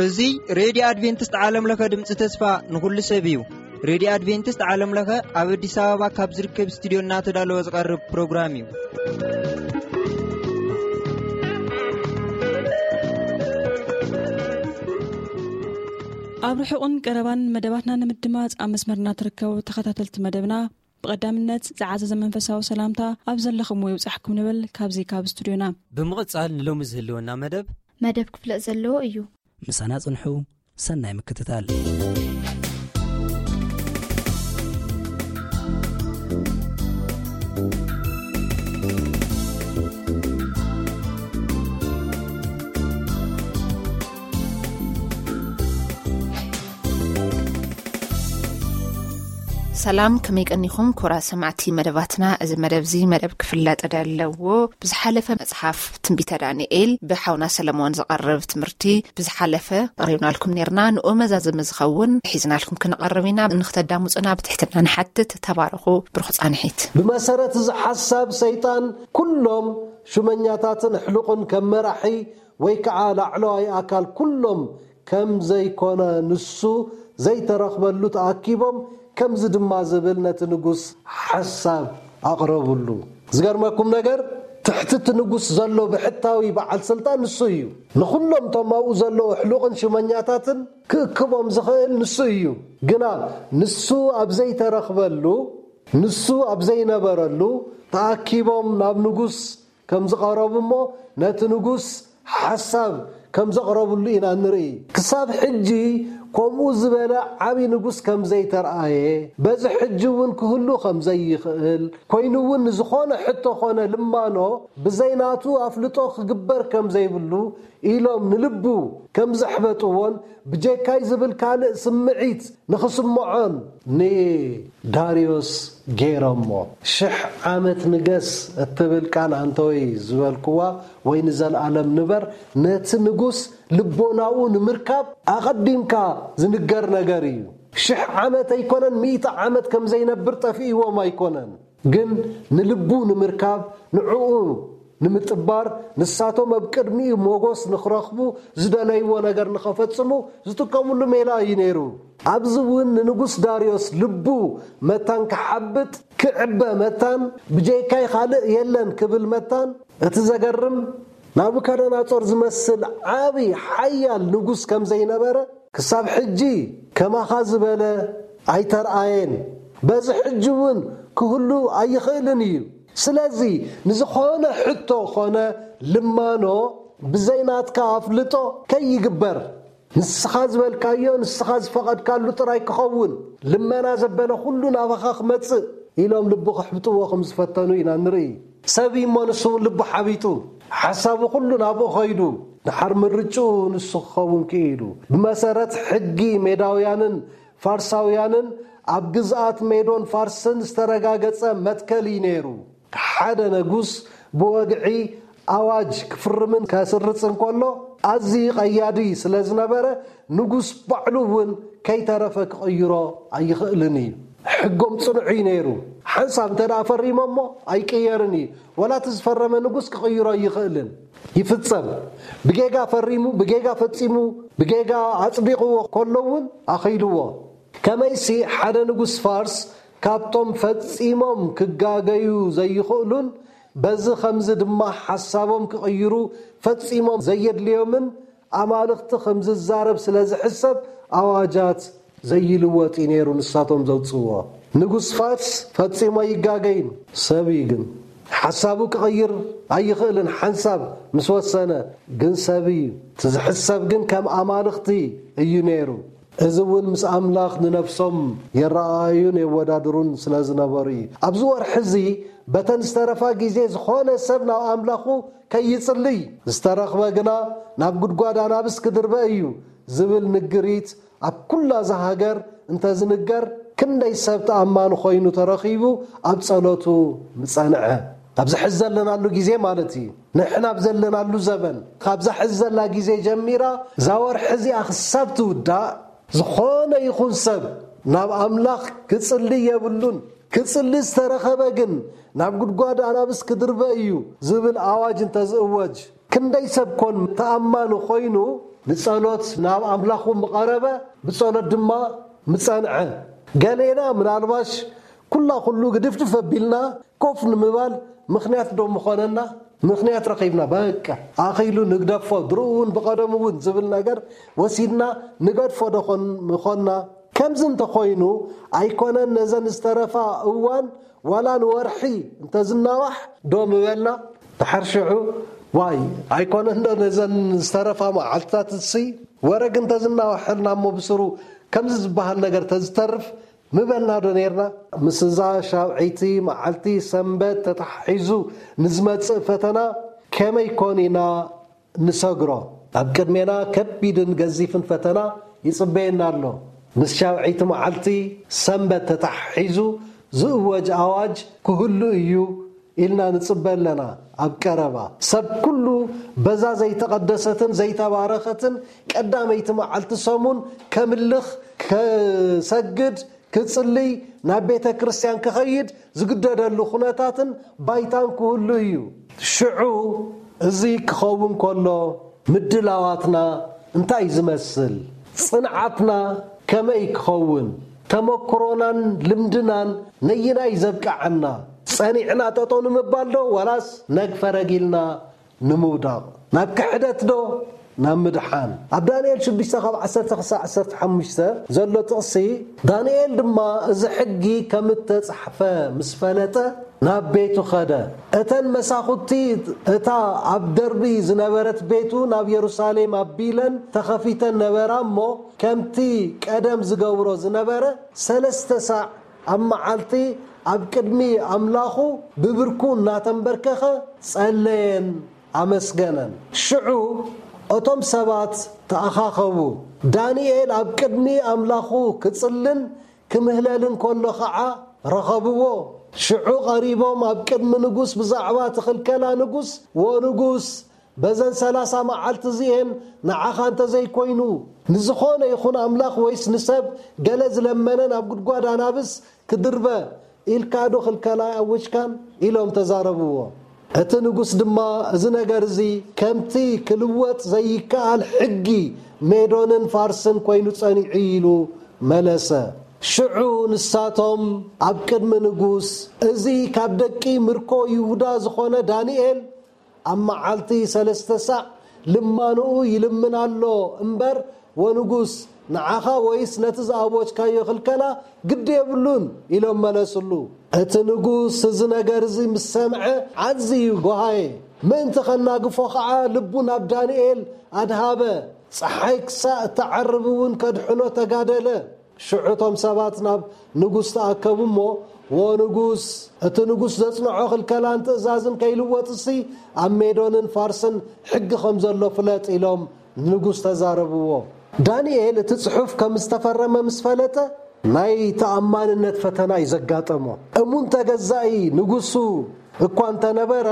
እዚ ሬድዮ ኣድቬንቲስት ዓለም ለኸ ድምፂ ተስፋ ንኹሉ ሰብ እዩ። ሬድዮ ኣድቬንቲስት ዓለም ለኸ ኣብ ኣዲስ ኣበባ ካብ ዝርከብ ስቱዲዮ እናተዳለወ ዝቐርብ ፕሮግራም እዩ። ኣብ ርሑቕን ቀረባን መደባትና ንምድማፅ ኣብ መስመርና ትርከቡ ተኸታተልቲ መደብና፣ ብቐዳምነት ዝዓዘዘ መንፈሳዊ ሰላምታ ኣብ ዘለኹምዎ ይብጻሕኩም ንብል ካብዚ ካብ ስቱድዮና። ብምቕጻል ንሎሚ ዝህልወና መደብ መደብ ክፍለጥ ዘለዎ እዩ። ምሳና ጽንሑ። ሰናይ ምክትታል። ሰላም፣ ከመይ ቀኒኹም ክቡራት ሰማዕቲ መደባትና? እዚ መደብ እዚ መደብ ክፍለጥ ዘለዎ ብዝሓለፈ መጽሓፍ ትንቢተ ዳንኤል ብሓውና ሰለሞን ዝቐርብ ትምህርቲ ብዝሓለፈ ኣቕሪብናልኩም ኔርና። ንኡ መዛዘሚ ዝኸውን ሒዝናልኩም ክንቐርብ ኢና። ንክተዳምጹና ብትሕትና ንሓትት። ተባረኹ። ብሩኽ ጻንሒት። ብመሰረት እዚ ሓሳብ ሰይጣን ኩሎም ሹመኛታትን ኣሕሉቕን ከም መራሒ ወይ ከዓ ላዕለዋይ ኣካል ኩሎም ከም ዘይኮነ፣ ንሱ ዘይተረኽበሉ ተኣኪቦም ከምዚ ድማ ዝብል ነቲ ንጉስ ሓሳብ ኣቕረብሉ። ዝገርመኩም ነገር፣ ትሕቲ እቲ ንጉስ ዘሎ ብሕታዊ በዓል ስልጣን ንሱ እዩ። ንኹሎም እቶም ኣብኡ ዘለዉ ኣሕሉቕን ሽመኛታትን ክእክቦም ዝኽእል ንሱ እዩ። ግና ንሱ ኣብ ዘይተረኽበሉ፣ ንሱ ኣብ ዘይነበረሉ ተኣኪቦም ናብ ንጉስ ከም ዝቐረቡ እሞ ነቲ ንጉስ ሓሳብ ከም ዘቕረብሉ ኢና ንርኢ። ክሳብ ሕጂ ከምኡ ዝበለ ዓቢ ንጉስ ከም ዘይተርኣየ፣ በዚ ሕጂ እውን ክህሉ ከም ዘይኽእል፣ ኮይኑ እውን ንዝኾነ ሕቶ ኾነ ልማኖ ብዘይ ናቱ ኣፍልጦ ክግበር ከም ዘይብሉ ኢሎም ንልቡ ከም ዘሕበጥዎን ብጀካይ ዝብል ካልእ ስምዒት ንኽስምዖን ንዳርዮስ ገይሮሞ። ሽሕ ዓመት ንገስ እትብል ቃል ኣንተወይ ዝበልክዋ ወይ ንዘለኣለም ንበር፣ ነቲ ንጉስ ልቦናኡ ንምርካብ ኣቐዲምካ ዝንገር ነገር እዩ። ሽሕ ዓመት ኣይኮነን፣ ሚእቲ ዓመት ከም ዘይነብር ጠፊእዎም ኣይኮነን። ግን ንልቡ ንምርካብ፣ ንዕኡ ንምጥባር፣ ንሳቶም ኣብ ቅድሚኡ ሞጎስ ንኽረኽቡ፣ ዝደለይዎ ነገር ንኸፈጽሙ ዝጥቀሙሉ ሜላ እዩ ነይሩ። ኣብዚ እውን ንንጉስ ዳርዮስ ልቡ መታን ክሓብጥ፣ ክዕበ መታን፣ ብጀይካይ ካልእ የለን ክብል መታን፣ እቲ ዘገርም፣ ናቡከደነጾር ዝመስል ዓቢ ሓያል ንጉስ ከም ዘይነበረ፣ ክሳብ ሕጂ ከማኻ ዝበለ ኣይተርኣየን፣ በዚ ሕጂ እውን ክህሉ ኣይኽእልን እዩ። ስለዚ ንዝኾነ ሕቶ ኾነ ልማኖ ብዘይ ናትካ ኣፍልጦ ከይግበር፣ ንስኻ ዝበልካዮ፣ ንስኻ ዝፈቐድካሉ ጥራይ ክኸውን፣ ልመና ዘበለ ኩሉ ናባኻ ክመጽእ ኢሎም ልቡ ከሕብጥዎ ከም ዝፈተኑ ኢና ንርኢ። ሰብ እዩ እሞ ንሱ እውን ልቡ ሓቢጡ፣ ሓሳቡ ኩሉ ናብኡ ኸይዱ፣ ድሓር ምርጭኡ ንሱ ክኸውን ክኢሉ። ብመሰረት ሕጊ ሜዳውያንን ፋርሳውያንን ኣብ ግዝኣት ሜዶን ፋርስን ዝተረጋገጸ መትከል እዩ ነይሩ። ሓደ ንጉስ ብወግዒ ኣዋጅ ክፍርምን ከስርጽን ከሎ ኣዝዩ ቀያዲ ስለ ዝነበረ፣ ንጉስ ባዕሉ እውን ከይተረፈ ክቕይሮ ኣይኽእልን እዩ። ሕጎም ጽኑዕ እዩ ነይሩ። ሓንሳብ እንተ ደኣ ፈሪሞሞ ኣይቅየርን እዩ። ወላ እቲ ዝፈረመ ንጉስ ክቕይሮ ኣይኽእልን። ይፍጸም። ብጌጋ ፈሪሙ፣ ብጌጋ ፈጺሙ፣ ብጌጋ ኣጽዲቕዎ ከሎ እውን ኣኺልዎ። ከመይሲ ሓደ ንጉስ ፋርስ ካብቶም ፈጺሞም ክጋገዩ ዘይኽእሉን በዚ ኸምዚ ድማ ሓሳቦም ክቕይሩ ፈጺሞም ዘየድልዮምን ኣማልኽቲ ኸም ዝዛረብ ስለ ዝሕሰብ ኣዋጃት ዘይልወጥ እዩ ነይሩ ንሳቶም ዘውጽእዎ። ንጉስ ፋርስ ፈጺሞ ኣይጋገይን፣ ሰብ እዩ ግን። ሓሳቡ ክቕይር ኣይኽእልን፣ ሓንሳብ ምስ ወሰነ ግን ሰብ እዩ። እቲ ዝሕሰብ ግን ከም ኣማልኽቲ እዩ ነይሩ። እዚ እውን ምስ ኣምላኽ ንነፍሶም የረኣእዩን የወዳድሩን ስለ ዝነበሩ እዩ። ኣብዚ ወርሒ እዚ በተን ዝተረፋ ግዜ ዝኾነ ሰብ ናብ ኣምላኹ ከይጽልይ፣ ዝተረኽበ ግና ናብ ጉድጓድ ኣናብስ ክድርበ እዩ ዝብል ንግሪት ኣብ ኩላ እዛ ሃገር እንተዝንገር ክንደይ ሰብ ተኣማኒ ኮይኑ ተረኺቡ ኣብ ጸሎቱ ምጸንዐ። ኣብዚ ሕዚ ዘለናሉ ግዜ ማለት እዩ። ንሕና ኣብ ዘለናሉ ዘበን፣ ካብዛ ሕዚ ዘላ ግዜ ጀሚራ እዛ ወርሒ እዚኣ ክሳብ ትውዳእ፣ ዝኾነ ይኹን ሰብ ናብ ኣምላኽ ክጽሊ የብሉን። ክጽሊ ዝተረኸበ ግን ናብ ጉድጓድ ኣናብስ ክድርበ እዩ ዝብል ኣዋጅ እንተዝእወጅ፣ ክንደይ ሰብ ኮን ተኣማኒ ኮይኑ ንጸሎት ናብ ኣምላኹ ምቐረበ፣ ብጸሎት ድማ ምጸንዐ። ገሌና ምናልባሽ ኩላ ኩሉ ግድፍድፍ ኣቢልና ኮፍ ንምባል ምኽንያት ዶ ምኾነና? ምኽንያት ረኺብና፣ በቃ ኣኺሉ ንግደፎ፣ ድሮ'ውን ብቐደሙ እውን ዝብል ነገር ወሲድና ንገድፎ ዶ ኾን-፣ ምኾንና? ከምዚ እንተኾይኑ ኣይኮነን ነዘን ዝተረፋ እዋን ዋላ ንወርሒ እንተዝናዋሕ ዶ ምበልና? ድሓር ሽዑ ዋይ ኣይኮነን ዶ ነዘን ዝተረፋ መዓልትታት እሲ ወረግ እንተዝናዋሐልና እሞ ብስሩ ከምዚ ዝበሃል ነገር ተዝተርፍ ምበልና ዶ ነርና? ምስ እዛ ሻውዒቲ መዓልቲ ሰንበት ተታሒዙ ንዝመጽእ ፈተና ከመይ ኮን ኢና ንሰግሮ? ኣብ ቅድሜና ከቢድን ገዚፍን ፈተና ይጽበየና ኣሎ። ምስ ሻውዒቲ መዓልቲ ሰንበት ተታሒዙ ዝእወጅ ኣዋጅ ክህሉ እዩ ኢልና ንጽበ ኣለና። ኣብ ቀረባ ሰብ ኩሉ በዛ ዘይተቐደሰትን ዘይተባረኸትን ቀዳመይቲ መዓልቲ ሰሙን ከምልኽ፣ ከሰግድ፣ ክጽልይ፣ ናብ ቤተ ክርስቲያን ክኸይድ ዝግደደሉ ኩነታትን ባይታን ክህሉ እዩ። ሽዑ እዚ ክኸውን ከሎ ምድላዋትና እንታይ ዝመስል? ጽንዓትና ከመይ ክኸውን? ተመክሮናን ልምድናን ነይናይ ዘብቅዓና? ጸኒዕና ጠጠው ንምባል ዶ ዋላስ ነግፈረግ ኢልና ንምውዳቕ? ናብ ክሕደት ዶ ናብ ምድሓን? ኣብ ዳንኤል ሽዱሽተ ካብ ዓሰርተ ክሳዕ ዓሰርተ ሓሙሽተ ዘሎ ጥቕሲ፣ ዳንኤል ድማ እዚ ሕጊ ከም እተጻሕፈ ምስ ፈለጠ ናብ ቤቱ ኸደ። እተን መሳኹቲ እታ ኣብ ደርቢ ዝነበረት ቤቱ ናብ የሩሳሌም ኣቢለን ተኸፊተን ነበራ እሞ፣ ከምቲ ቀደም ዝገብሮ ዝነበረ ሰለስተ ሳዕ ኣብ መዓልቲ ኣብ ቅድሚ ኣምላኹ ብብርኩ እናተንበርከኸ ጸለየን ኣመስገነን። ሽዑ እቶም ሰባት ተኣኻኸቡ። ዳንኤል ኣብ ቅድሚ ኣምላኹ ክጽልን ክምህለልን ከሎ ኸዓ ረኸብዎ። ሽዑ ቀሪቦም ኣብ ቅድሚ ንጉስ ብዛዕባ እቲ ኽልከላ ንጉስ፣ ወንጉስ፣ በዘን ሰላሳ መዓልቲ እዚኤን ንዓኻ እንተዘይኮይኑ ንዝኾነ ይኹን ኣምላኽ ወይስ ንሰብ ገለ ዝለመነ ናብ ጉድጓድ ኣናብስ ክድርበ ኢልካ ዶ ኽልከላ ኣወጅካን? ኢሎም ተዛረብዎ። እቲ ንጉስ ድማ እዚ ነገር እዚ ከምቲ ክልወጥ ዘይከኣል ሕጊ ሜዶንን ፋርስን ኮይኑ ጸኒዑ ኢሉ መለሰ። ሽዑ ንሳቶም ኣብ ቅድሚ ንጉስ፣ እዚ ካብ ደቂ ምርኮ ይሁዳ ዝኾነ ዳንኤል ኣብ መዓልቲ ሰለስተ ሳዕ ልማንኡ ይልምን ኣሎ እምበር፣ ወንጉስ፣ ንዓኻ ወይስ ነቲ ዝኣወጅካዮ ኽልከላ ግዲ የብሉን ኢሎም መለስሉ። እቲ ንጉስ እዚ ነገር እዚ ምስ ሰምዐ ዓዝዩ ጎሃየ። ምእንቲ ኸናግፎ ኸዓ ልቡ ናብ ዳንኤል ኣድሃበ። ጸሓይ ክሳእ እትዓርብ እውን ከድሕኖ ተጋደለ። ሽዑ እቶም ሰባት ናብ ንጉስ ተኣከቡ እሞ፣ "ዎ ንጉስ፣ እቲ ንጉስ ዘጽንዖ ክልከላን ትእዛዝን ከይልወጥሲ ኣብ ሜዶንን ፋርስን ሕጊ ከም ዘሎ ፍለጥ" ኢሎም ንንጉስ ተዛረብዎ። ዳንኤል እቲ ጽሑፍ ከም ዝተፈረመ ምስ ፈለጠ፣ ናይ ተኣማንነት ፈተና እዩ ዘጋጠሞ። እሙን ተገዛኢ ንጉሱ እኳ እንተነበረ፣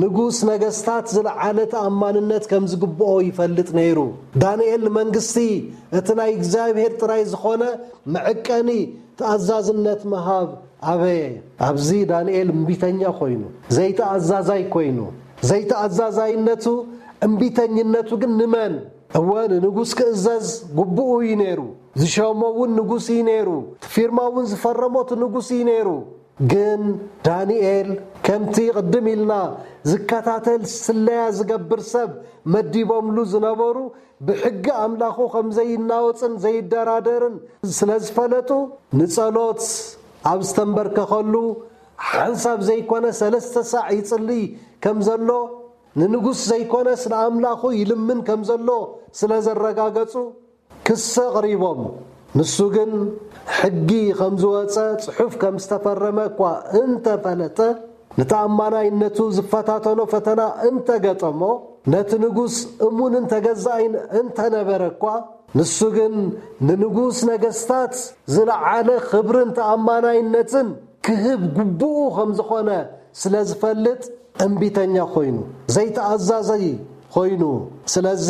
ንጉስ ነገስታት ዝለዓለ ተኣማንነት ከም ዝግብኦ ይፈልጥ ነይሩ። ዳንኤል ንመንግስቲ እቲ ናይ እግዚኣብሔር ጥራይ ዝኾነ መዐቀኒ ተኣዛዝነት ምሃብ ኣበየ። ኣብዚ ዳንኤል እምቢተኛ ኮይኑ፣ ዘይተኣዛዛይ ኮይኑ፣ ዘይተኣዛዛይነቱ፣ እምቢተኝነቱ ግን ንመን? እወ፣ ንንጉስ ክእዘዝ ግቡኡ እዩ ነይሩ። ዝሸሞ እውን ንጉስ እዩ ነይሩ። እቲ ፊርማ እውን ዝፈረሞ እቲ ንጉስ እዩ ነይሩ። ግን ዳንኤል ከምቲ ቅድም ኢልና ዝከታተል ስለያ ዝገብር ሰብ መዲቦምሉ ዝነበሩ ብሕጊ ኣምላኹ ከም ዘይናወጽን ዘይደራደርን ስለ ዝፈለጡ ንጸሎት ኣብ ዝተንበርከኸሉ ሓንሳብ ዘይኮነ ሰለስተ ሳዕ ይጽልይ ከም ዘሎ ንንጉስ ዘይኮነስ ንኣምላኹ ይልምን ከም ዘሎ ስለ ዘረጋገጹ ክሲ ኣቕሪቦም። ንሱ ግን ሕጊ ከም ዝወጸ ጽሑፍ ከም ዝተፈረመ እኳ እንተፈለጠ ንተኣማናይነቱ ዝፈታተኖ ፈተና እንተገጠሞ ነቲ ንጉስ እሙንን ተገዛኢን እንተነበረ እኳ ንሱ ግን ንንጉስ ነገስታት ዝለዓለ ክብርን ተኣማናይነትን ክህብ ግቡኡ ከም ዝኾነ ስለ ዝፈልጥ እምቢተኛ ኮይኑ ዘይተኣዛዘይ ኮይኑ ስለዚ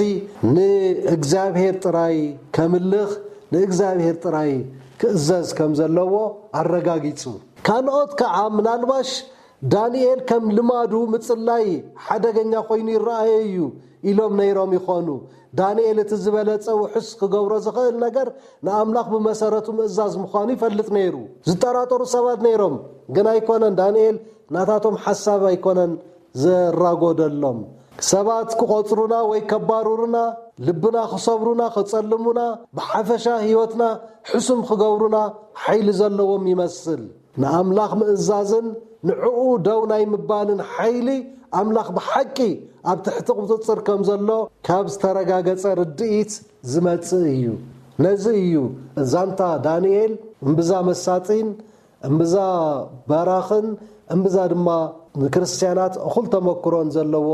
ንእግዚኣብሔር ጥራይ ከምልኽ ንእግዚኣብሔር ጥራይ ክእዘዝ ከም ዘለዎ ኣረጋጊጹ። ካልኦት ከኣ ምናልባሽ ዳንኤል ከም ልማዱ ምጽላይ ሓደገኛ ኮይኑ ይረኣዮ እዩ ኢሎም ነይሮም ይኾኑ። ዳንኤል እቲ ዝበለጸ ውሑስ ክገብሮ ዝኽእል ነገር ንኣምላኽ ብመሰረቱ ምእዛዝ ምዃኑ ይፈልጥ ነይሩ። ዝጠራጠሩ ሰባት ነይሮም፣ ግን ኣይኮነን። ዳንኤል ናታቶም ሓሳብ ኣይኮነን ዘራጎደሎም። ሰባት ክቖጽሩና ወይ ከባርሩና፣ ልብና ክሰብሩና፣ ክጸልሙና፣ ብሓፈሻ ህይወትና ሕሱም ክገብሩና ሓይሊ ዘለዎም ይመስል። ንኣምላኽ ምእዛዝን ንዕኡ ደው ናይ ምባልን ሓይሊ ኣምላኽ ብሓቂ ኣብ ትሕቲ ቁጽጽር ከም ዘሎ ካብ ዝተረጋገጸ ርድኢት ዝመጽእ እዩ። ነዚ እዩ ዛንታ ዳንኤል እምብዛ መሳጢን እምብዛ በራኽን እምብዛ ድማ ንክርስትያናት እኹል ተመክሮን ዘለዎ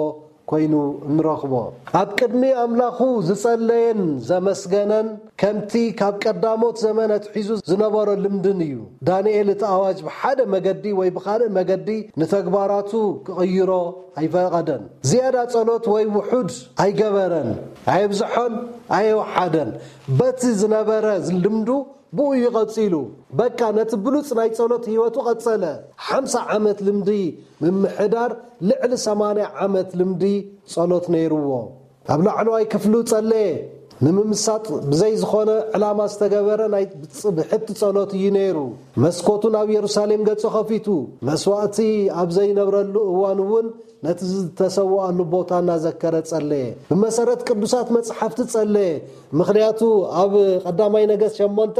ኮይኑ እንረኽቦ። ኣብ ቅድሚ ኣምላኹ ዝጸለየን ዘመስገነን፣ ከምቲ ካብ ቀዳሞት ዘመን ኣትሒዙ ዝነበሮ ልምድን እዩ። ዳንኤል እቲ ኣዋጅ ብሓደ መገዲ ወይ ብኻልእ መገዲ ንተግባራቱ ክቕይሮ ኣይፈቐደን። ዝያዳ ጸሎት ወይ ውሑድ ኣይገበረን፣ ኣየብዝሖን ኣየወሓደን። በቲ ዝነበረ ልምዱ ብኡ እዩ ቀጺሉ። በቃ ነቲ ብሉጽ ናይ ጸሎት ህይወቱ ቀጸለ። ሓምሳ ዓመት ልምዲ ምምሕዳር ልዕሊ ሰማንያ ዓመት ልምዲ ጸሎት ነይርዎ። ኣብ ላዕለዋይ ክፍሉ ጸለየ። ንምምሳጥ ብዘይ ዝኾነ ዕላማ ዝተገበረ ናይ ብጽ-፣ ብሕቲ ጸሎት እዩ ነይሩ። መስኮቱ ናብ የሩሳሌም ገጹ ከፊቱ፣ መስዋእቲ ኣብ ዘይነብረሉ እዋን እውን ነቲ ዝተሰውኣሉ ቦታ እናዘከረ ጸለየ። ብመሰረት ቅዱሳት መጽሓፍቲ ጸለየ። ምኽንያቱ ኣብ ቀዳማይ ነገስት ሸሞንተ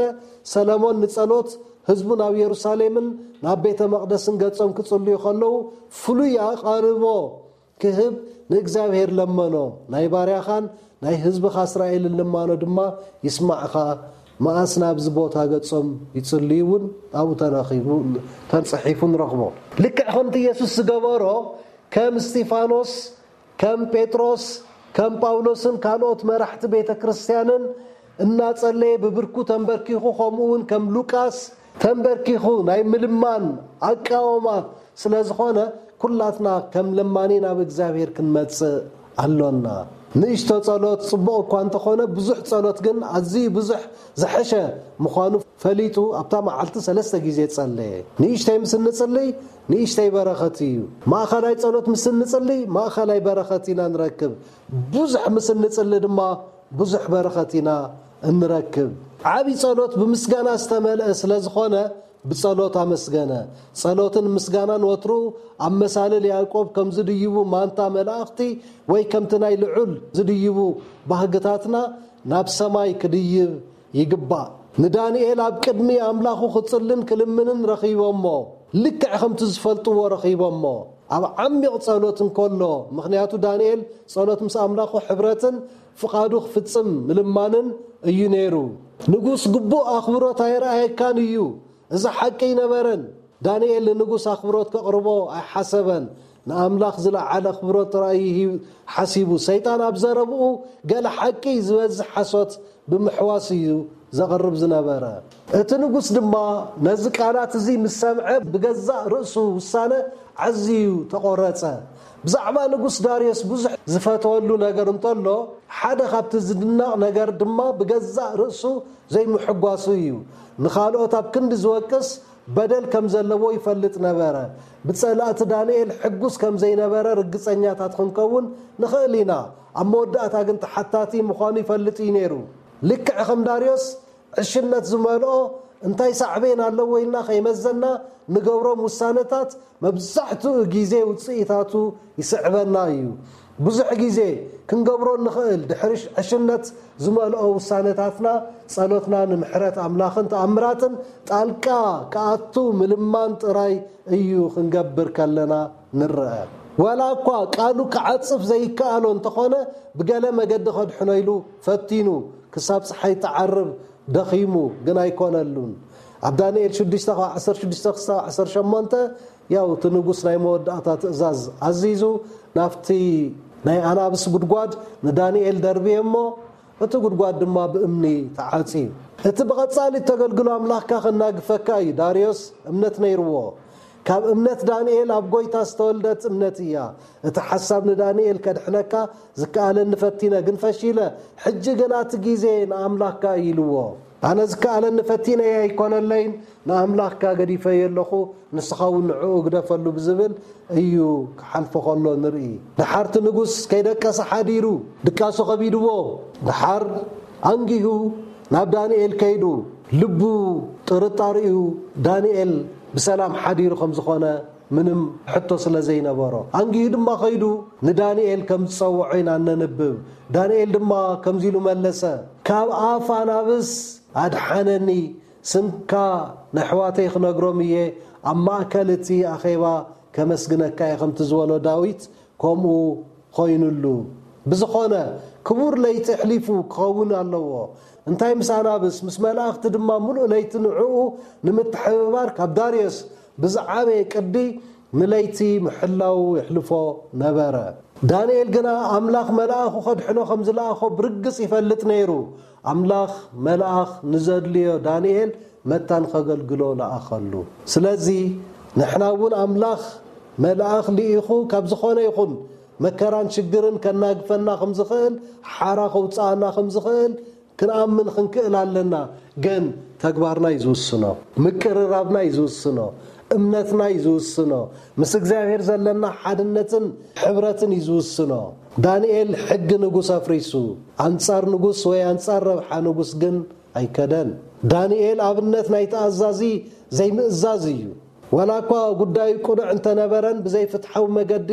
ሰለሞን ንጸሎት ህዝቡ ናብ የሩሳሌምን ናብ ቤተ መቕደስን ገጾም ክጽልዩ ከለዉ ፍሉይ ኣቓልቦ ክህብ ንእግዚኣብሔር ለመኖ። ናይ ባርያኻን ናይ ህዝብኻ እስራኤልን ልማኖ ድማ ይስማዕኻ። መኣስ ናብዚ ቦታ ገጾም ይጽልዩ እውን ኣብኡ ተረኺቡ፣ ተጽሒፉ ንረኽቦ። ልክዕ ከምቲ ኢየሱስ ዝገበሮ ከም እስጢፋኖስ፣ ከም ጴጥሮስ፣ ከም ጳውሎስን ካልኦት መራሕቲ ቤተ ክርስቲያንን እናጸለየ ብብርኩ ተንበርኪኹ፣ ከምኡ እውን ከም ሉቃስ ተንበርኪኹ ናይ ምልማን ኣቃውማ ስለ ዝኾነ፣ ኩላትና ከም ለማኒ ናብ እግዚኣብሔር ክንመጽእ ኣሎና። ንእሽቶ ጸሎት ጽቡቕ እኳ እንተኾነ፣ ብዙሕ ጸሎት ግን ኣዝዩ ብዙሕ ዝሐሸ ምዃኑ ፈሊጡ ኣብታ መዓልቲ ሰለስተ ግዜ ጸለየ። ንእሽተይ ምስ እንጽልይ፣ ንእሽተይ በረኸት እዩ። ማእኸላይ ጸሎት ምስ እንጽልይ፣ ማእኸላይ በረኸት ኢና ንረክብ። ብዙሕ ምስ እንጽሊ ድማ ብዙሕ በረኸት ኢና እንረክብ። ዓቢ ጸሎት ብምስጋና ዝተመልአ ስለ ዝኾነ ብጸሎት ኣመስገነ። ጸሎትን ምስጋናን ወትሩ ኣብ መሳልል ያዕቆብ ከም ዝድይቡ ማንታ መላእኽቲ ወይ ከምቲ ናይ ልዑል ዝድይቡ ባህግታትና ናብ ሰማይ ክድይብ ይግባእ። ንዳንኤል ኣብ ቅድሚ ኣምላኹ ክጽልን ክልምንን ረኺቦሞ። ልክዕ ከምቲ ዝፈልጥዎ ረኺቦሞ። ኣብ ዓሚቕ ጸሎት እንከሎ፣ ምኽንያቱ ዳንኤል ጸሎት ምስ ኣምላኹ ሕብረትን ፍቓዱ ክፍጽም ምልማንን እዩ ነይሩ። ንጉስ ግቡእ ኣኽብሮት ኣይረኣየካን እዩ። እዚ ሓቂ ኣይነበረን። ዳንኤል ንንጉስ ኣኽብሮት ከቕርቦ ኣይሓሰበን። ንኣምላኽ ዝለዓለ ኣኽብሮት ጥራይ እዩ ሂብ-፣ ሓሲቡ። ሰይጣን ኣብ ዘረብኡ ገለ ሓቂ ዝበዝሕ ሓሶት ብምሕዋስ እዩ ዘቕርብ ዝነበረ። እቲ ንጉስ ድማ ነዚ ቃላት እዚ ምስ ሰምዐ ብገዛእ ርእሱ ውሳነ ኣዝዩ ተቖረጸ። ብዛዕባ ንጉስ ዳርዮስ ብዙሕ ዝፈተወሉ ነገር እንተሎ፣ ሓደ ካብቲ ዝድነቕ ነገር ድማ ብገዛእ ርእሱ ዘይምሕጓሱ እዩ። ንኻልኦት ኣብ ክንዲ ዝወቅስ በደል ከም ዘለዎ ይፈልጥ ነበረ። ብጸላእቲ ዳንኤል ሕጉስ ከም ዘይነበረ ርግጸኛታት ክንከውን ንኽእል ኢና። ኣብ መወዳእታ ግን ተሓታቲ ምዃኑ ይፈልጥ እዩ ነይሩ። ልክዕ ከም ዳርዮስ ዕሽነት ዝመልኦ፣ እንታይ ሳዕቤን ኣለዎ ኢልና ከይመዘና ንገብሮም ውሳነታት መብዛሕትኡ ግዜ ውጽኢታቱ ይስዕበና እዩ። ብዙሕ ግዜ ክንገብሮ እንኽእል፣ ድሕሪ ዕሽነት ዝመልኦ ውሳነታትና፣ ጸሎትና ንምሕረት ኣምላኽን ተኣምራትን ጣልቃ ክኣቱ ምልማን ጥራይ እዩ ክንገብር ከለና ንረአ። ዋላ እኳ ቃሉ ክዓጽፍ ዘይከኣሎ እንተኾነ፣ ብገለ መገዲ ከድሕኖ ኢሉ ፈቲኑ፣ ክሳብ ጸሓይ ትዓርብ ደኺሙ፣ ግን ኣይኮነሉን። ኣብ ዳንኤል ሽዱሽተ ካብ ዓሰርተ ሽዱሽተ ክሳብ ዓሰርተ ሸሞንተ፣ ያው እቲ ንጉስ ናይ መወዳእታ ትእዛዝ ኣዚዙ፣ ናብቲ ናይ ኣናብስ ጉድጓድ ንዳንኤል ደርብየ እሞ፣ እቲ ጉድጓድ ድማ ብእምኒ ተዓጽዩ። እቲ ብቐጻሊ እተገልግሎ ኣምላኽካ ከናግፈካ እዩ። ዳርዮስ እምነት ነይርዎ። ካብ እምነት ዳንኤል ኣብ ጎይታ ዝተወልደት እምነት እያ። እቲ ሓሳብ ንዳንኤል ከድሕነካ ዝከኣለኒ ፈቲነ፣ ግን ፈሺለ። ሕጂ ግና እቲ ግዜ ንኣምላኽካ እዩ ኢልዎ። ኣነ ዝከኣለኒ ፈቲነዮ ኣይኮነለይን፣ ንኣምላኽካ ገዲፈዮ ኣለኹ፣ ንስኻ እውን ንዕኡ ግደፈሉ ብዝብል እዩ ክሓልፎ ከሎ ንርኢ። ደሓር እቲ ንጉስ ከይደቀሰ ሓዲሩ ድቃሱ ከቢድዎ፣ ደሓር ኣንጊሁ ናብ ዳንኤል ከይዱ፣ ልቡ ጥርጣሪኡ ዳንኤል ብሰላም ሓዲሩ ከም ዝኾነ ምንም ሕቶ ስለ ዘይነበሮ፣ ኣንጊሁ ድማ ከይዱ ንዳንኤል ከም ዝጸውዖ ኢና እነንብብ። ዳንኤል ድማ ከምዚ ኢሉ መለሰ፣ ካብ ኣፍ ኣናብስ ኣድሓነኒ፣ ስምካ ነሕዋተይ ክነግሮም እየ፣ ኣብ ማእከል እቲ ኣኼባ ከመስግነካ እየ፣ ከምቲ ዝበሎ ዳዊት ከምኡ ኮይኑሉ። ብዝኾነ፣ ክቡር ለይቲ ኣሕሊፉ ክኸውን ኣለዎ። እንታይ ምስ ኣናብስ፣ ምስ መላእኽቲ ድማ ምሉእ ለይቲ ንዕኡ ንምትሕብባር ካብ ዳርዮስ ብዝዓበየ ቅዲ ንለይቲ ምሕላው የሕልፎ ነበረ። ዳንኤል ግና ኣምላኽ መልኣኹ ከድሕኖ ከም ዝለኣኾ ብርግጽ ይፈልጥ ነይሩ። ኣምላኽ መልኣኽ ንዘድልዮ ዳንኤል መታን ከገልግሎ ለኣኸሉ። ስለዚ ንሕና እውን ኣምላኽ መልኣኽ ልኢኹ ካብ ዝኾነ ይኹን መከራን ሽግርን ከናግፈና ከም ዝኽእል፣ ሓራ ከውፅኣና ከም ዝኽእል ክንኣምን ክንክእል ኣለና። ግን ተግባርና እዩ ዝውስኖ፣ ምቅርራብና እዩ ዝውስኖ፣ እምነትና እዩ ዝውስኖ፣ ምስ እግዚኣብሔር ዘለና ሓድነትን ሕብረትን እዩ ዝውስኖ። ዳንኤል ሕጊ ንጉስ ኣፍሪሱ ኣንጻር ንጉስ ወይ ኣንጻር ረብሓ ንጉስ ግን ኣይከደን። ዳንኤል ኣብነት ናይ ተኣዛዚ ዘይምእዛዝ እዩ። ዋላ እኳ ጉዳዩ ቅኑዕ እንተነበረን ብዘይፍትሓዊ መገዲ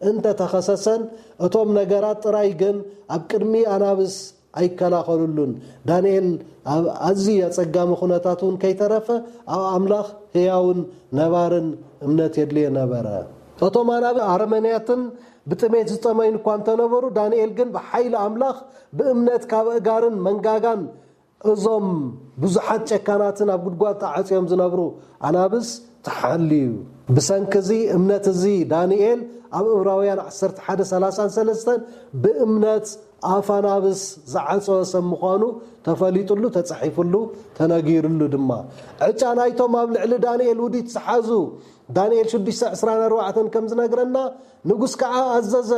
እንተተኸሰሰን፣ እቶም ነገራት ጥራይ ግን ኣብ ቅድሚ ኣናብስ ኣይከላኸሉሉን። ዳንኤል ኣብ ኣዝዩ ኣጸጋሚ ኩነታት እውን ከይተረፈ ኣብ ኣምላኽ ህያውን ነባርን እምነት የድልዮ ነበረ። እቶም ኣናብስ ኣረመኔያትን ብጥሜት ዝጠመዩን እኳ እንተነበሩ፣ ዳንኤል ግን ብሓይሊ ኣምላኽ ብእምነት ካብ ኣእጋርን መንጋጋን እዞም ብዙሓት ጨካናትን ኣብ ጉድጓድ ተዓጽዮም ዝነብሩ ኣናብስ ተሓልዩ። ብሰንኪ እዚ እምነት እዚ ዳንኤል ኣብ ዕብራውያን ዓሰርተ ሓደ ሰላሳን ሰለስተን ብእምነት ኣፍ ኣናብስ ዝዓጸወ ሰብ ምዃኑ ተፈሊጥሉ፣ ተጻሒፍሉ፣ ተነጊርሉ ድማ። ዕጫ ናይቶም ኣብ ልዕሊ ዳንኤል ውዲት ዝሓዙ፣ ዳንኤል ሽዱሽተ ዕስራን ኣርባዕተን ከም ዝነግረና፣ ንጉስ ከዓ ኣዘዘ፣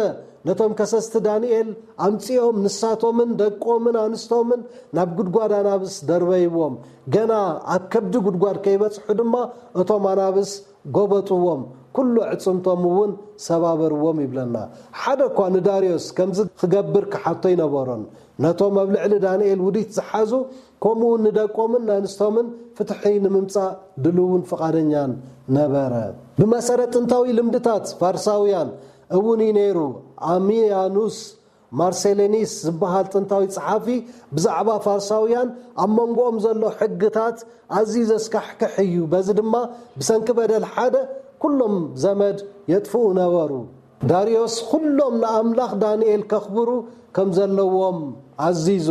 ነቶም ከሰስቲ ዳንኤል ኣምጺኦም ንሳቶምን ደቆምን ኣንስቶምን ናብ ጉድጓድ ኣናብስ ደርበይዎም። ገና ኣብ ከብዲ ጉድጓድ ከይበጽሑ ድማ እቶም ኣናብስ ጎበጥዎም፣ ኩሉ ኣዕጽምቶም እውን ሰባበርዎም ይብለና። ሓደ እኳ ንዳርዮስ ከምዚ ክገብር ክሓቶ ኣይነበሮን። ነቶም ኣብ ልዕሊ ዳንኤል ውዲት ዝሓዙ፣ ከምኡ እውን ንደቆምን ንኣንስቶምን ፍትሒ ንምምጻእ ድልውን ፍቓደኛን ነበረ። ብመሰረት ጥንታዊ ልምድታት ፋርሳውያን እውን እዩ ነይሩ። ኣሚያኑስ ማርሴሌኒስ ዝበሃል ጥንታዊ ጸሓፊ ብዛዕባ ፋርሳውያን ኣብ መንጎኦም ዘሎ ሕግታት ኣዝዩ ዘስካሕክሕ እዩ። በዚ ድማ ብሰንኪ በደል ሓደ ኩሎም ዘመድ የጥፍኡ ነበሩ። ዳርዮስ ኩሎም ንኣምላኽ ዳንኤል ከኽብሩ ከም ዘለዎም ኣዚዙ።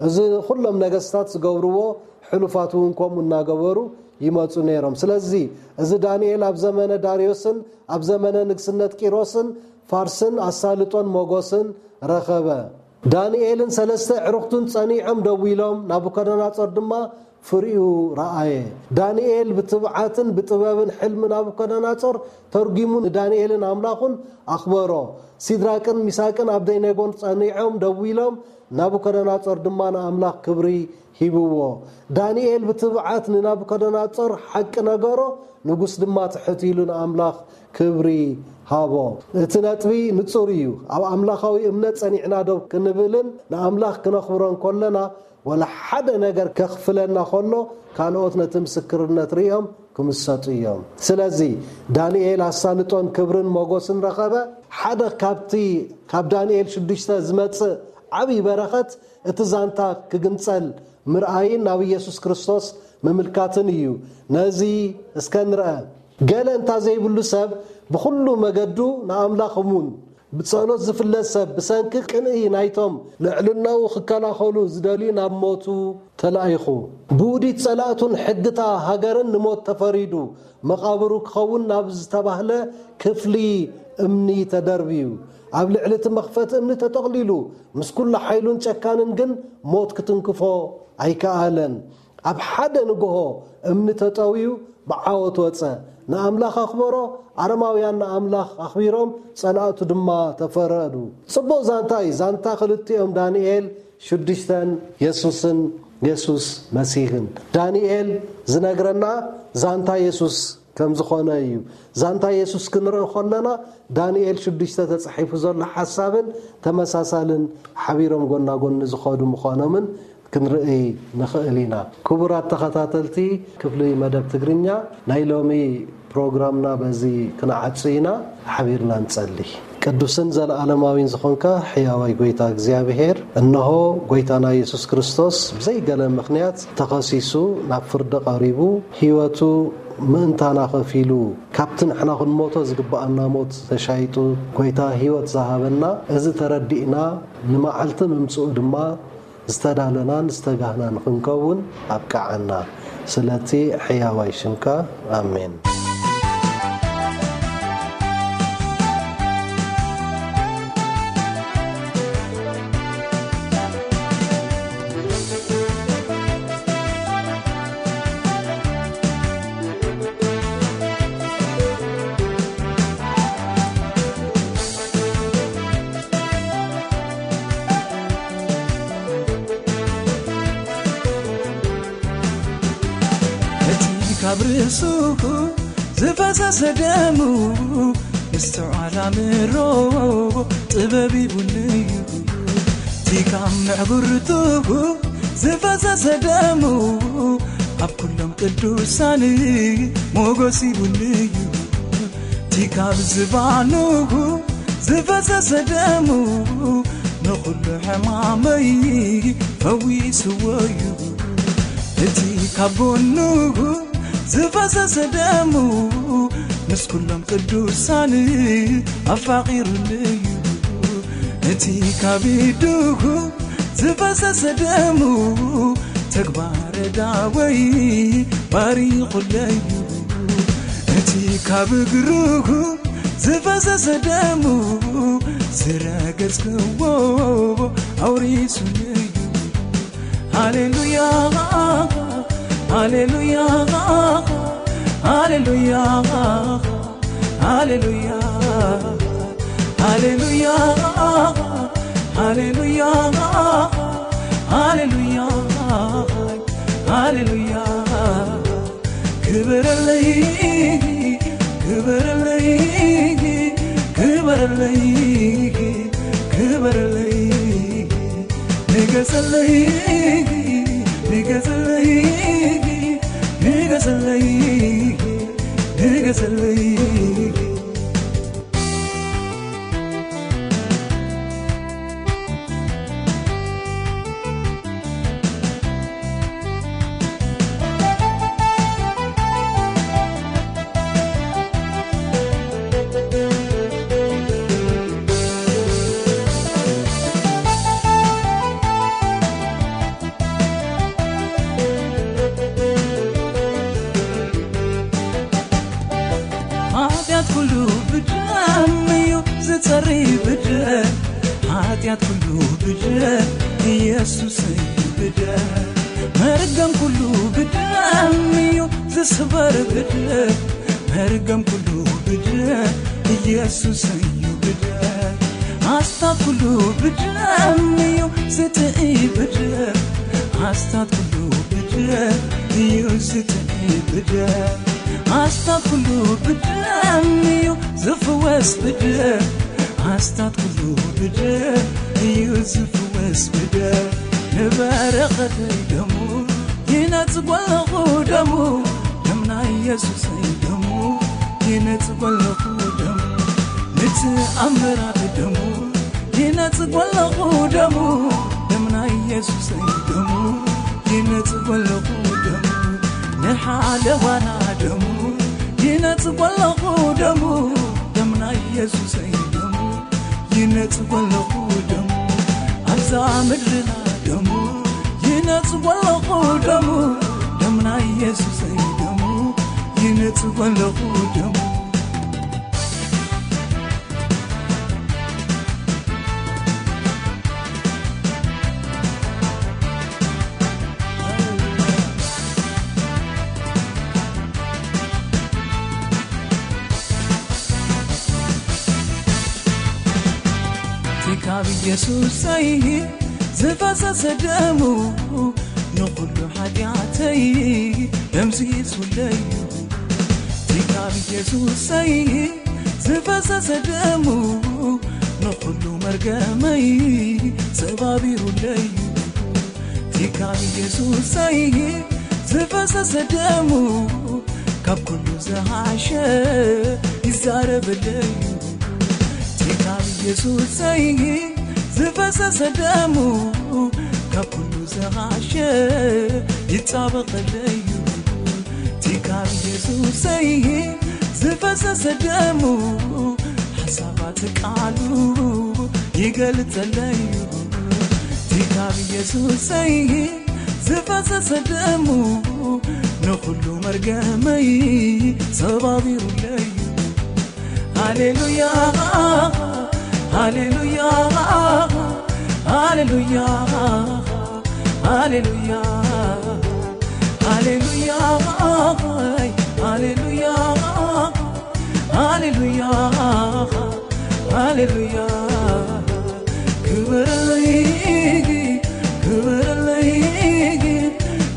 እዚ ኩሎም ነገስታት ዝገብርዎ፣ ሕሉፋት እውን ከምኡ እናገበሩ ይመጹ ነይሮም። ስለዚ እዚ ዳንኤል ኣብ ዘመነ ዳርዮስን ኣብ ዘመነ ንግስነት ቂሮስን ፋርስን ኣሳልጦን ሞጎስን ረኸበ። ዳንኤልን ሰለስተ ኣዕሩኽቱን ጸኒዖም ደው ኢሎም፣ ናቡከደነጾር ድማ ፍሪኡ ረኣየ። ዳንኤል ብትብዓትን ብጥበብን ሕልሚ ናቡከደነጾር ተርጒሙ ንዳንኤልን ኣምላኹን ኣኽበሮ። ሲድራቅን ሚሳቅን ኣብደይነጎን ጸኒዖም ደው ኢሎም፣ ናቡከደነጾር ድማ ንኣምላኽ ክብሪ ሂብዎ። ዳንኤል ብትብዓት ንናቡከደነጾር ሓቂ ነገሮ፣ ንጉስ ድማ ትሕት ኢሉ ንኣምላኽ ክብሪ ሃቦ። እቲ ነጥቢ ንጹር እዩ። ኣብ ኣምላኻዊ እምነት ጸኒዕና ደው ክንብልን ንኣምላኽ ክነኽብሮን ከለና፣ ወላ ሓደ ነገር ከኽፍለና ከሎ፣ ካልኦት ነቲ ምስክርነት ርእዮም ክምሰጡ እዮም። ስለዚ ዳንኤል ኣሳልጦን ክብርን ሞጎስን ረኸበ። ሓደ ካብቲ ካብ ዳንኤል ሽዱሽተ ዝመጽእ ዓብዪ በረኸት፣ እቲ ዛንታ ክግንጸል ምርኣይን ናብ ኢየሱስ ክርስቶስ ምምልካትን እዩ። ነዚ እስከ ንርአ። ገለ እንታ ዘይብሉ ሰብ ብኹሉ መገዱ ንኣምላኽ እሙን፣ ብጸሎት ዝፍለጥ ሰብ ብሰንኪ ቅንኢ ናይቶም ልዕልናኡ ክከላኸሉ ዝደልዩ ናብ ሞቱ ተላኢኹ። ብውዲት ጸላእቱን ሕግታ ሃገርን ንሞት ተፈሪዱ፣ መቓብሩ ክኸውን ናብ ዝተባህለ ክፍሊ እምኒ ተደርብዩ። ኣብ ልዕሊ እቲ መኽፈቲ እምኒ ተጠቕሊሉ፣ ምስ ኩሉ ሓይሉን ጨካንን ግን ሞት ክትንክፎ ኣይከኣለን። ኣብ ሓደ ንግሆ እምኒ ተጠውዩ ብዓወት ወጸ። ንኣምላኽ ኣኽበሮ፣ ኣረማውያን ንኣምላኽ ኣኽቢሮም፣ ጸላእቱ ድማ ተፈረዱ። ጽቡቕ ዛንታ እዩ። ዛንታ ክልቲኦም ዳንኤል ሽዱሽተን የሱስን የሱስ መሲህን። ዳንኤል ዝነግረና ዛንታ የሱስ ከም ዝኾነ እዩ። ዛንታ የሱስ ክንርኢ ከለና ዳንኤል ሽዱሽተ ተጻሒፉ ዘሎ ሓሳብን ተመሳሳልን ሓቢሮም ጎና ጎኒ ዝኸዱ ምዃኖምን ክንርኢ ንኽእል ኢና። ክቡራት ተኸታተልቲ ክፍሊ መደብ ትግርኛ፣ ናይ ሎሚ ፕሮግራምና በዚ ክንዓጹ ኢና። ሓቢርና ንጸሊ። ቅዱስን ዘለዓለማዊን ዝኾንካ ሕያዋይ ጎይታ እግዚኣብሔር፣ እንሆ ጎይታና የሱስ ክርስቶስ ብዘይገለ ምኽንያት ተኸሲሱ ናብ ፍርዲ ቀሪቡ፣ ህይወቱ ምእንታና ከፊሉ፣ ካብቲ ንሕና ክንሞቶ ዝግብኣና ሞት ተሻይጡ፣ ጎይታ ህይወት ዝሃበና፣ እዚ ተረዲእና ንመዓልቲ ምምጽኡ ድማ ዝተዳለናን ዝተጋህናን ክንከውን ኣብቅዓና። ስለቲ ሕያዋይ ሽምካ፣ ኣሜን። እቲ ካብ ርእሱ ዝፈሰሰ ደሙ ምስትውዓል ኣምሮ ጥበብ ሂቡኒ እዩ። እቲ ካብ ምዕጉርቱ ዝፈሰሰ ደሙ ኣብ ኩሎም ቅዱሳን ሞገስ ሂቡኒ እዩ። እቲ ካብ ዝባኑ ዝፈሰሰ ደሙ ንኹሉ ሕማመይ ፈዊስዎ እዩ። እቲ ካብ ጎኑ ዝፈሰሰ ደሙ ምስ ኩሎም ቅዱሳን ኣፋቒሩኒ እዩ። እቲ ካብ ኢዱ ዝፈሰሰ ደሙ ተግባረ ዳወይ ባሪኹለይ እዩ። እቲ ካብ እግሩ ዝፈሰሰ ደሙ ዝረገጽክዎ ኣውሪሱኒ እዩ። ሃሌሉያ፣ ሃሌሉያ፣ ሃሌሉያ፣ ሃሌሉያ፣ ሃሌሉያ፣ ሃሌሉያ፣ ሃሌሉያ፣ ሃሌሉያ። ክበረለይ፣ ክበረለይ፣ ክበረለይ፣ ክበረለይ። ንገሰለይ፣ ንገሰለይ፣ ንገሰለይ፣ ንገሰለይ። ሓጢኣት ኩሉ ብደም እዩ ዝጸሪ ብደም፣ ሓጢኣት ኩሉ ብደም ኢየሱስ እዩ ብደም፣ መርገም ኩሉ ብደም እዩ ዝስበር ብደም፣ መርገም ኩሉ ብደም ኢየሱስ እዩ ብደም፣ ኣስታት ኩሉ ብደም እዩ ዝጥኢ ብደም፣ ኣስታት ኩሉ ብደም እዩ ዝጥኢ ብደም፣ ኣስታት ኩሉ ብደም እዩ ዝፍወስ ብደም፣ ኣስታት ኩሉ ብደም እዩ ዝፍወስ ብደም፣ ንበረኸተይ ደሙ ይነጽጎ ኣለኹ ደሙ፣ ደም ናይ ኢየሱሰይ ደሙ ይነጽጎ ኣለኹ ደሙ፣ ንተኣምራት ደሙ ይነጽጎ ኣለኹ ደሙ፣ ደም ናይ ኢየሱሰይ ደሙ ይነጽጎ ኣለኹ ደሙ፣ ንሓለዋና ደሙ ይነጽጎ ኣለኹ ደሙ፣ ደም ናይ ኢየሱሰይ ደሙ ይነጽጎ ኣለኹ ደሙ፣ ኣብዛ ምድርና ደሙ ይነጽጎ ኣለኹ ደሙ፣ ደም ናይ ኢየሱሰይ ደሙ ይነጽጎ ኣለኹ ደሙ። እቲ ካብ ኢየሱሰይ ዝፈሰሰ ደሙ ንኹሉ ሓጢኣተይ ደምሲሱለይ እዩ። እቲ ካብ ኢየሱሰይ ዝፈሰሰ ደሙ ንኹሉ መርገመይ ሰባቢሩለይ እዩ። እቲ ካብ ኢየሱሰይ ዝፈሰሰ ደሙ ካብ ኩሉ ዝሓሸ ይዛረበለይ እዩ። እቲ ካብ ኢየሱሰይ ዝፈሰሰ ደሙ ካብ ኩሉ ዝሓሸ ይጣበቐለይ እዩ። እቲ ካብ ኢየሱሰይ ዝፈሰሰ ደሙ ሓሳባት ቃሉ ይገልጸለይ እዩ። እቲ ካብ ኢየሱሰይ ዝፈሰሰ ደሙ ንኹሉ መርገመይ ሰባቢሩለይ እዩ። ሃሌሉያ፣ ሃሌሉያ፣ ሃሌሉያ፣ ሃሌሉያ፣ ሃሌሉያ፣ ሃሌሉያ፣ ሃሌሉያ፣ ሃሌሉያ። ክበረለይ፣ ክበረለይ፣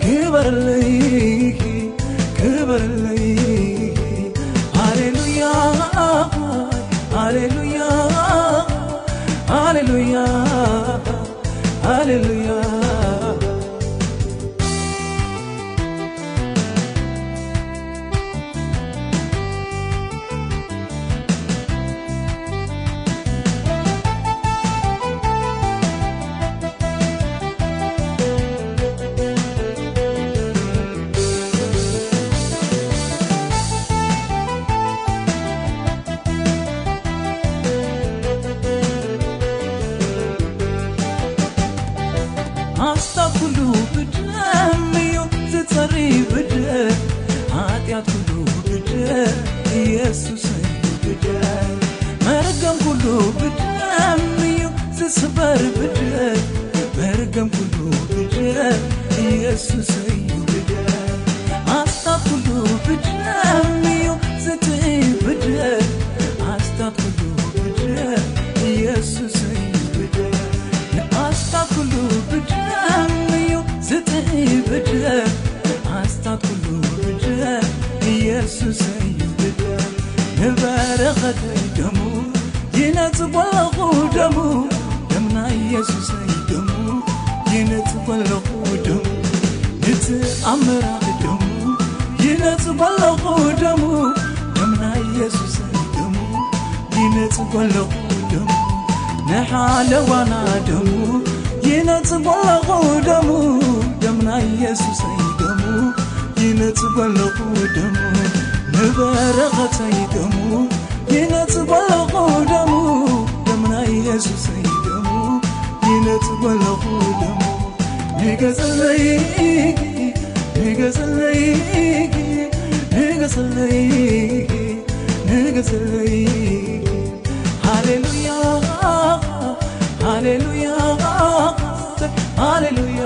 ክበረለይ፣ ክበረለይ። ሃሌሉያ፣ ሃሌሉያ፣ ሃሌሉያ፣ ሃሌሉያ። ኣስታት ኩሉ ብደም እዩ ዝጸሪ ብደም፣ ሓጢኣት ኩሉ ብደም፣ ኢየሱስ እዩ ብደም። መርገም ኩሉ ብደም እዩ ዝስበር ብደም፣ መርገም ኩሉ ብደም፣ ኢየሱስ እዩ ብደም። ኣስታት ኩሉ ብደም እዩ ዝጥኢ ብደም፣ ኣስታት ኩሉ ብደም፣ ኢየሱስ እዩ ብደም። ኣስታት ኩሉ ብደም እዩ ዝጥኢ ብደም፣ ኣስታት ኩሉ ብደም፣ ኢየሱስ እዩ ብደም። ንበረኸተይ ደሙ ይነጽጎ ኣለኹ ደሙ፣ ደም ናይ ኢየሱሰይ ደሙ ይነጽጎ ኣለኹ ደሙ፣ ንተኣምራት ደሙ ይነጽጎ ኣለኹ ደሙ፣ ደም ናይ ኢየሱሰይ ደሙ ይነጽጎ ኣለኹ ደሙ፣ ንሓለዋና ደሙ ይነጽጎ ኣለኹ ደሙ፣ ደም ናይ ኢየሱሰይ ደሙ ይነጽጎ ኣለኹ ደሙ፣ ንበረኸተይ ደሙ ይነጽጎ ኣለኹ ደሙ፣ ደም ናይ ኢየሱሰይ ደሙ ይነጽጎ ኣለኹ ደሙ። ንገሰለይ፣ ንገሰለይ፣ ንገሰለይ፣ ንገሰለይ። ሃሌሉያ፣ ሃሌሉያ፣ ሃሌሉያ፣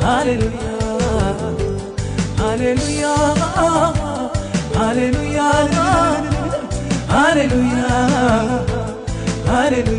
ሃሌሉያ፣ ሃሌሉያ፣ ሃሌሉያ፣ ሃሌሉያ፣ ሃሌሉያ።